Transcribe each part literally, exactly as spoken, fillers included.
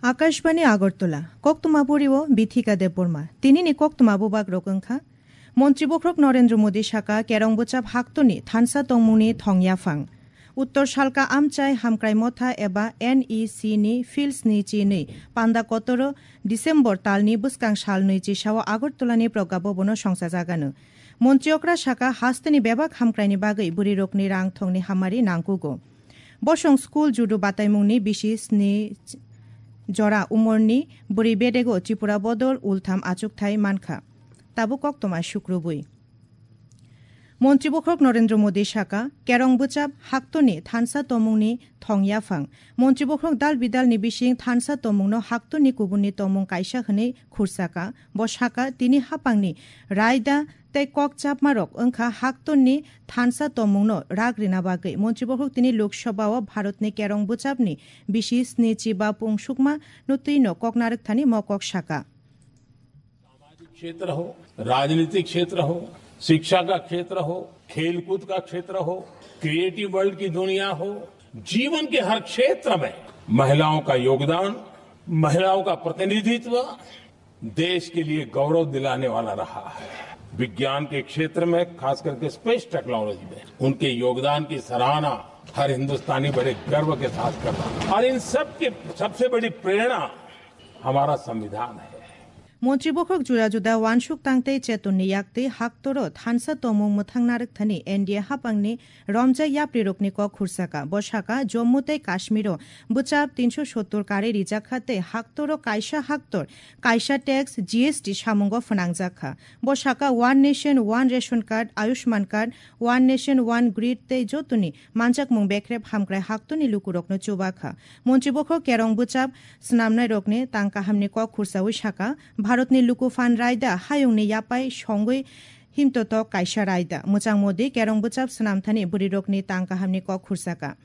Akashbani Agartala, koktwma buri o Bithika Debbarma. Tinini koktwma bubak rok wngkha. Montri bokhorok Narendra Modi saka kerong bwchap haktoni thansa tongmungni thong yaphang. Uttor Salka Amchai Hamkrai Motha eba N E C ni Fields ni chinwi panda kotoro December talni bwskang sal nwi chisao Agartala ni Progga Bhavan o songchajagano. Montri okra saka hasteni bebak hamkraini bagwi bwrwi rokni rang thongni hamari nangkugo. Bosong school judu bataimungni bisi sni jora umorni bwrwi bedego Tripura bodol ultham achukthai mankha. Tabuk koktwma sukrubwi. Montri bokhorok Narendra Modi saka, kerong bwchap haktoni thansa tomungni thong yaphang. Montri bokhorok dal bidalni bising thansa tomungno haktoni kubunni tomung kaisa hwnwi khursaka. Bo saka, tini haphangni raida tei kok chapmarok wngkha haktonni thansa tomungno rak rina bagwi. Montri bokhorok tini Lok Sabha o Bharatni kerong bwchapni bisi sni chiba pungsukma no twino kok narwkthani mo kok saka. सामाजिक क्षेत्र हो, राजनीतिक क्षेत्र हो, शिक्षा का क्षेत्र हो, खेलकूद का क्षेत्र हो, क्रिएटिव वर्ल्ड की दुनिया हो, जीवन के हर क्षेत्र में महिलाओं का योगदान, महिलाओं का प्रतिनिधित्व देश के लिए गौरव दिलाने वाला रहा है। विज्ञान के क्षेत्र में, खास करके स्पेस टेक्नोलॉजी में उनके योगदान की सराहना हर हिंदुस्तानी बड़े गर्व के साथ करता है। और इन सब के सबसे बड़ी प्रेरणा हमारा संविधान है। Montri bokhorok juda juda wansuk tang tei chetonni yak tei haktoro thansa tomung mwthang narwkthani N D A haphangni romjak yaprirokni kok khursaka. Bo saka, Jammu tei Kashmiro bwchap tinso sottor kari rijakha tei haktoro kaisa haktor kaisa tax, G S T samungo phnangjakha. Bo saka, One Nation, One Ration Card, Ayushman Card, One Nation, One Grid tei jotoni manjakmung bekrep hamkrai haktoni lukurokno chubakha. Montri bokhorok kerong bwchap swnamnairokni tang kahamni kok khursawi saka, Bharatni luku phan raida hayungni yapai songwi himtotok kaisa raida. Mwchang Modi kerong bwchap swnamthani bwrwirokni tang kahamni kok khursaka.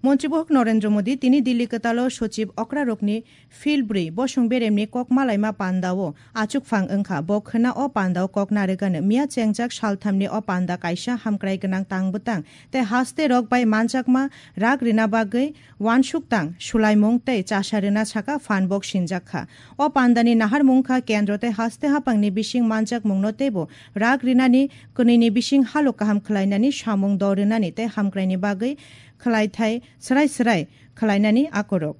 Montri bokhorok Narendra Modi tini Dilli kwtalo sochib okrarokni Field bwrwi bosong beremni kok malaima pandao achukphang wngkha. Bo khwna o pandao kok narwgano. Miya chengjak salthamni o panda kaisa hamkrai gwnang tang bwtang tei haste rok bai manjakma rak rina bagwi wansuk tang, sulaimung tei chasa rwna saka phan bok sinjak kha. O pandani naharmung kha kendro tei haste haphangni bising manjakmungno teibo rak rinani, kwnwini bising halok kaham khwlainani, samung do rwnani tei hamkraini bagwi khwlaithai swrai swrai khwlainani akorok.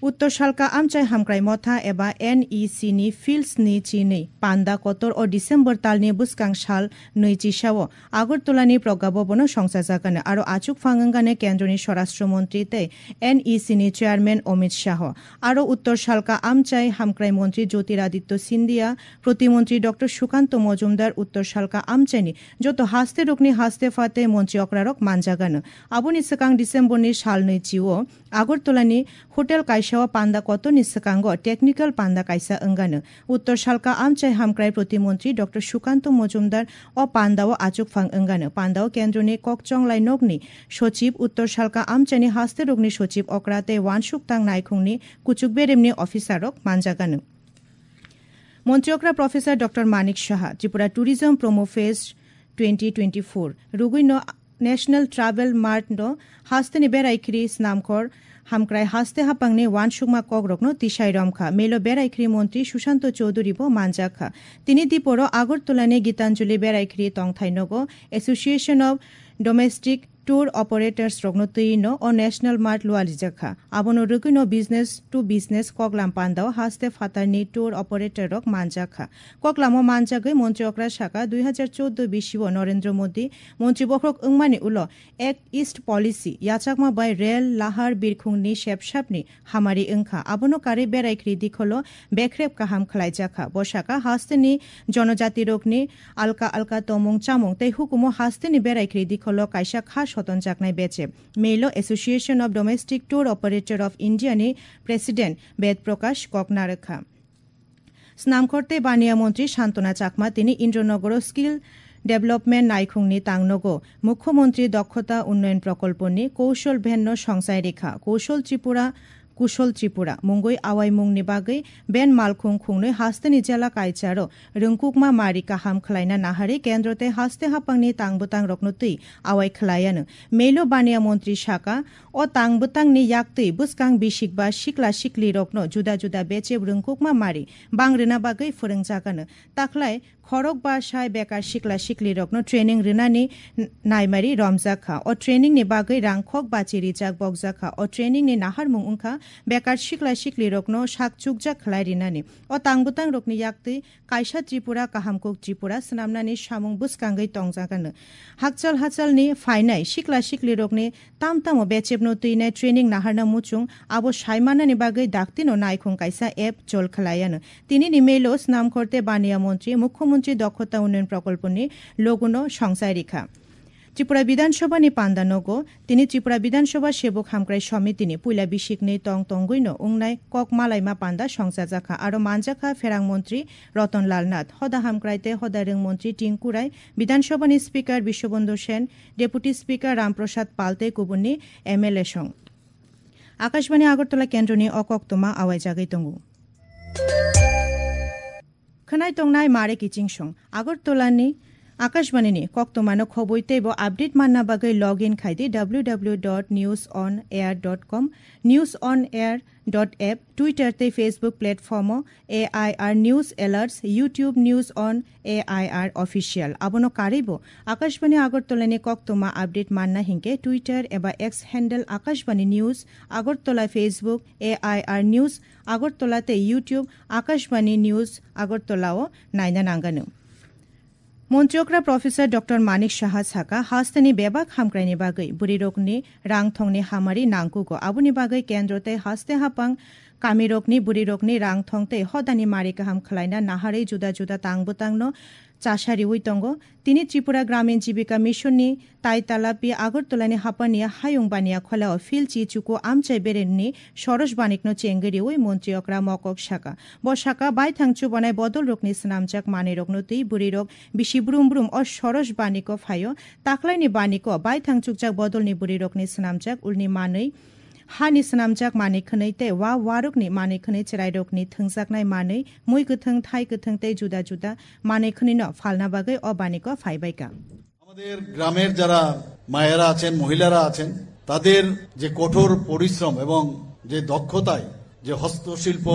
Uttor Salka Amchai Hamkrai Motha eba N E C ni Fields ni chinwi panda kotor o December talni bwskang sal nwi chisao Agartala ni Progga Bhavan o songchajagano. Aro achukphang wngkha kendroni Swarashtra Montri tei N E C ni Chairman Amit Shah. Aro Uttor Salka Amchai Hamkrai Montri Jyotiraditya Scindia, Protimontri Doctor Sukanto Mojumdar, Uttor Salka Amchai ni joto haste rokni haste pha tei montri okrarok manjagano. Aboni swkang December ni sal nwi chio Agartala ni hotel kaisa o panda kotor ni swkango technical panda kaisa wngano. Uttor Salka Amchai Hamkrai Protimontri Doctor Sukanto Mojumdar o panda o achukphang wngano. Panda o kendroni kokchonglai nokni sochib, Uttor Salka Amchai ni haste rokni sochib okra tei wansuk tang naikhungni kuchuk beremni officer rok manjagano. Montri okra Professor Doctor Manik Saha, Tripura Tourism Promo Fest twenty twenty-four rugwino National Travel Mart no hasteni berai khri snamkhor hamkrai haste hapangni wansukma kokrokno tisai romkha. Melo berai khri montri Sushanto Chowdhury bo manjakha. Tini diporo Agartala ni Gitanjali berai khri tongthai nogo Association of Domestic Tour Operators rokno twi no o National Mart lualijakha. Abono rwgwino business to business koklam pandao haste phatarni tour operator rok manjakha. Koklamo manjagwi montri okra saka, dui hazar choudo bisio Narendra Modi montri bokhorok wngmani ulo Act East Policy yachakma bai rel, lahar, birkhungni sepsapni hamari wngkha. Abono karwi berai khri dikholo bekrep kaham khwlaijakha. Bo saka hasteni jonojatirokni alka alka tomung chamung tei hukumo hasteni berai khri dikholo kaisa kha sotonjaknai beche. Melo Association of Domestic Tour Operator of India ni President Ved Prakash kok narwkha. Snamkhor tei Baniya Montri Santona Chakma tini Indranogoro Skill Development Naikhungni tangnogo Mukhyamantri Dokhota Unnayan Prokolponi Koushal Van no songchai rikha. Koushal Tripura Kushal Tripura mungwi awaimungni bagwi ben malkhung khungnwi hasteni jela kaicharo rwngkukma mari kaham khwlaina naharwi kendro tei haste haphangni tang bwtangrokno twi awai khwlaianw. Melo baniya montri saka, o tang bwtangni yaktwi bwskang bisik ba sikla siklirokno juda juda bechep rwngkukma mari bang rwna bagwi phwrwngjaganw. Takhlai khorok ba sai bekar sikla siklirokno training rwnani n-, naimari romjak kha. O trainingni bagwi rang khok bachi rijak bokjak kha. O trainingni naharmung wngkha bekar sikla siklirokno sak chukjak khlai rinani. O tang bwtangrokni yaktwi kaisa Tripura, kaham kuk Tripura swnamnani samung bwskangwi tongjaganw. Hakchal hachalni phainai sikla siklirokni tam tamo bechepno twinai training naharna muchung abo saimanani bagwi daktino naikhung kaisa app chol khwlaianw. Tinini melo snamkhor tei baniya montri, mukhyamantri dokhota unnayan prokolponi logono songchai rikha. Tripura Bidhan Sabha ni panda nogo, tini Tripura Bidhan Sabha Sebok Hamkrai Samiti ni puila bisikni tong tongwino wngnai kok malaima panda songchajakha, aro manjakha Pherang Montri Ratan Lal Nath, Hoda Hamkrai tei Hoda Rwng Montri Tinku Rai, Bidhan Sabha ni Speaker Biswabandhu Sen, Deputy Speaker Ram Prasad Pal tei kubunni M L A song. Akashbani Agartala kendroni o koktwma awaijagwi tongo. Khwnai tongnai mare kiching song. Agartala ni Akashbani ni koktwma no khobwi teibo update manna bagwi log in khai di w w w dot news on air dot com. News on air dot app, Twitter tei Facebook platform o A I R News Alerts, YouTube News on A I R Official. Abono karwi bo Akashbani Agartala ni koktwma update manna hinkhe Twitter eba X handle Akashbani News Agartala, Facebook A I R News Agartala tei YouTube Akashbani News Agartala o naina nanganw. Montri okra Professor Doctor Manik Saha saka, hasteni bebak hamkraini bagwi bwrwirokni rang thongni hamari nangkugo. Aboni bagwi kendro tei haste haphang kamirokni bwrwirokni rang thong tei hodani mari kaham khwlaina naharwi juda juda tang bwtangno chasa riwi tongo. Tini Tripura Gramin Jibika Mission ni tai talapi Agartala ni hapani hayung baniya kholao philchi chuku amchai beremni Soros Banikno chengwi riwi montri okra mokok saka. Bo saka baithang chubanai bodolrokni swnamjak manwirokno twi bwrwirok bisi brum brum o Soros Baniko phaio. Taklaini Baniko baithang chukjak bodolni bwrwirokni swnamjak ulni manwi, hani swnamjak manwi khwnwi tei wa warokni manwi khwnwi chwrairokni thwngjaknai manwi, mui kwthwng, thai kwthwng tei juda juda manwi khwnwino phalna bagwi o Baniko phaibaikha. আমাদের গ্রামের যারা মায়েরা আছেন, মহিলারা আছেন, তাদের যে কঠোর পরিশ্রম এবং যে দক্ষতায় যে হস্তশিল্প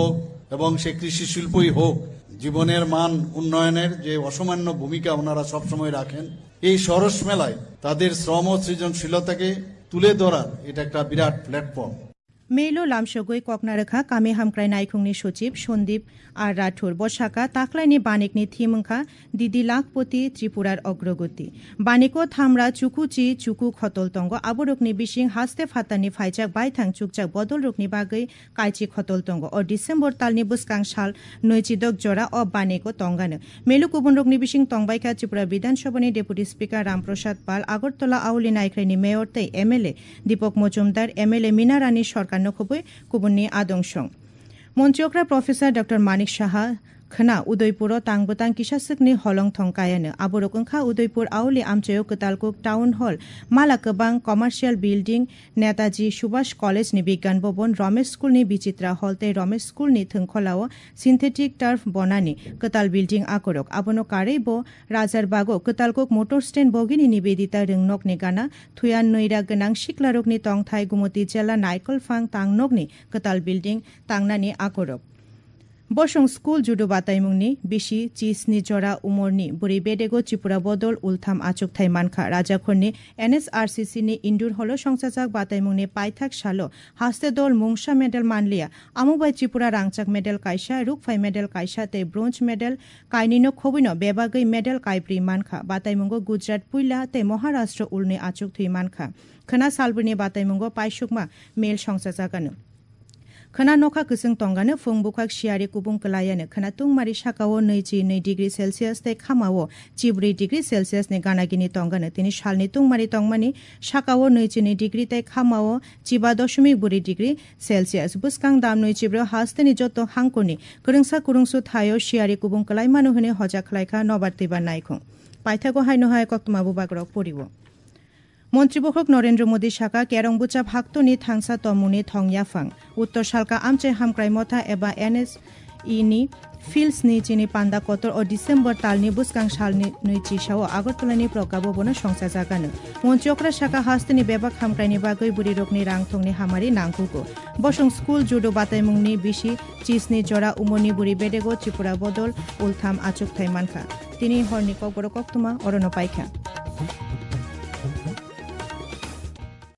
এবং সে কৃষি শিল্পই হোক, জীবনের মান উন্নয়নের যে অসামান্য ভূমিকা ওনারা সবসময় রাখেন, এই সরস মেলায় তাদের শ্রম ও সৃজনশীলতাকে তুলে ধরার এটা একটা বিরাট platform. Melo lamsogwi kokna rwkha kami hamkrai naikhungni sochib Sandip R Rathore. Bo saka, taklaini banikni thim wngkha Didi Lakhpati Tripurar Ogrogoti. Baniko thamra chukuchi chuku khotol tongo. Aborokni bising haste phatarni phaijak baithang chukjak bodolrokni bagwi kaichi khotol tongo. O December talni bwskang sal nwichidok jora o baniko tongano. Melo kubunrokni bising tongbaikha Tripura Bidhan Sabhani Deputy Speaker Ram Prasad Pal, Agartala Auli Naikhraini Mayor tei M L A Deepak Majumdar, M L A Mina Rani Sarkar no khobwi kubunni adong song. Montri okra Professor Doctor Manik Saha khwna Udaipuro tang bwtang kisaswkni holong thong kayano. Aborok wngkha Udaipur Auli amchaio Kwtalkuk Town Hall, mala kwbang Commercial Building, Netaji Subhash College ni Bigyan Bhavan, Ramesh School ni Bichitra Hall tei Ramesh School ni thwngkholao synthetic turf bonani kwtal building akorok. Abono karwi bo Rajarbago Kwtalkuk Motor Stand bogini Nibedita Rwngnokni gana thuya nwi ra gwnang siklarokni tongthai Gumoti Jela Naikolphang Tangnokni kwtal building tangnani akorok. Bosong school judo bataimungni bisi chisni jora umorni bwrwi bedego Tripura bodol ultham achukthai mankha. Rajakhorni N S R C C ni indoor holo songchajak bataimungni paithak salo haste dol mungsa medal manliya. Amo bai Tripura rangchak medal kaisa, rukphai medal kaisa tei bronze medal kainwino khobwino bebagwi medal kaibrwi mankha. Bataimungo Gujarat puila tei Maharashtra ulni achuk thwi mankha. Khwna salbrwini bataimungo paisukma mel songchajagano. Khwna nokha kwchwng tongano, phung bukhak siyari kubung kwlayano. Khwna tungmari sakao nwichi nwi degree Celsius tei khamao chibrwi degree Celsius ni ganagini tongano. Tini salni tungmari tongmani sakao nwichi nwi degree tei khamao chiba doshomik bwrwi degree Celsius. Bwskang damnwi chibro hasteni joto hangkoni kwrwngsa kwrwngsu thaio siyari kubung kwlaimano hwnwi hoja khlaikha nobar twibar naikhung. Paithago haino hai koktwma bubagrok poriwo. Montri Bokhok Narendra Modi saka, Kerong Buchap Haktoni Thangsa Tomungni Thong Yaphang, Uttor Salka Amchai Hamkrai Motha eba N S E ni Fields ni chini panda kotor o December talni bwskang salni nui chisao Agartala ni Prokabo bono songchajagano. Montri okra saka, hasteni bebak hamkraini bagwi bwrwi rokni rang thongni hamari nangkugo. Bosong school judo bataimungni bisi chisni jora umorni bwrwi bedego Tripura bodol ultham achukthai mankha. Tini horni kokborok koktwma orono paikha.